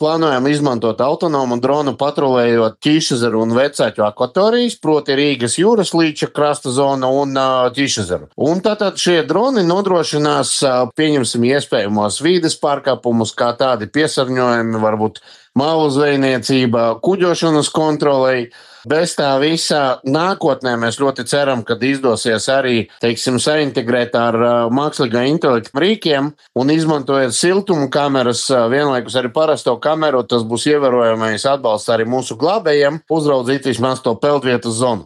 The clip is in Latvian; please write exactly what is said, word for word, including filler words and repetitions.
plānojam izmantot autonomu dronu patrulējot Ķīšezeru un Vecāķu akvatorijas, proti Rīgas jūras līča krasta zonu un uh, Ķīšezeru. Un tātad šie droni nodrošinās, uh, pieņemsim, iespējamos vīdes pārkāpumus, kā tādi piesārņojumi, varbūt malu zvejniecība, kuģošanas kontrolei. Bez tā visā nākotnē mēs ļoti ceram, ka izdosies arī, teiksim, saintegrēt ar uh, mākslīgā intelekta rīkiem un izmantojot siltumu kameras, uh, vienlaikus arī parasto kameru, tas būs ievērojamais atbalsts arī mūsu glābējiem uzraudzīt vismaz to peldvietas zonu.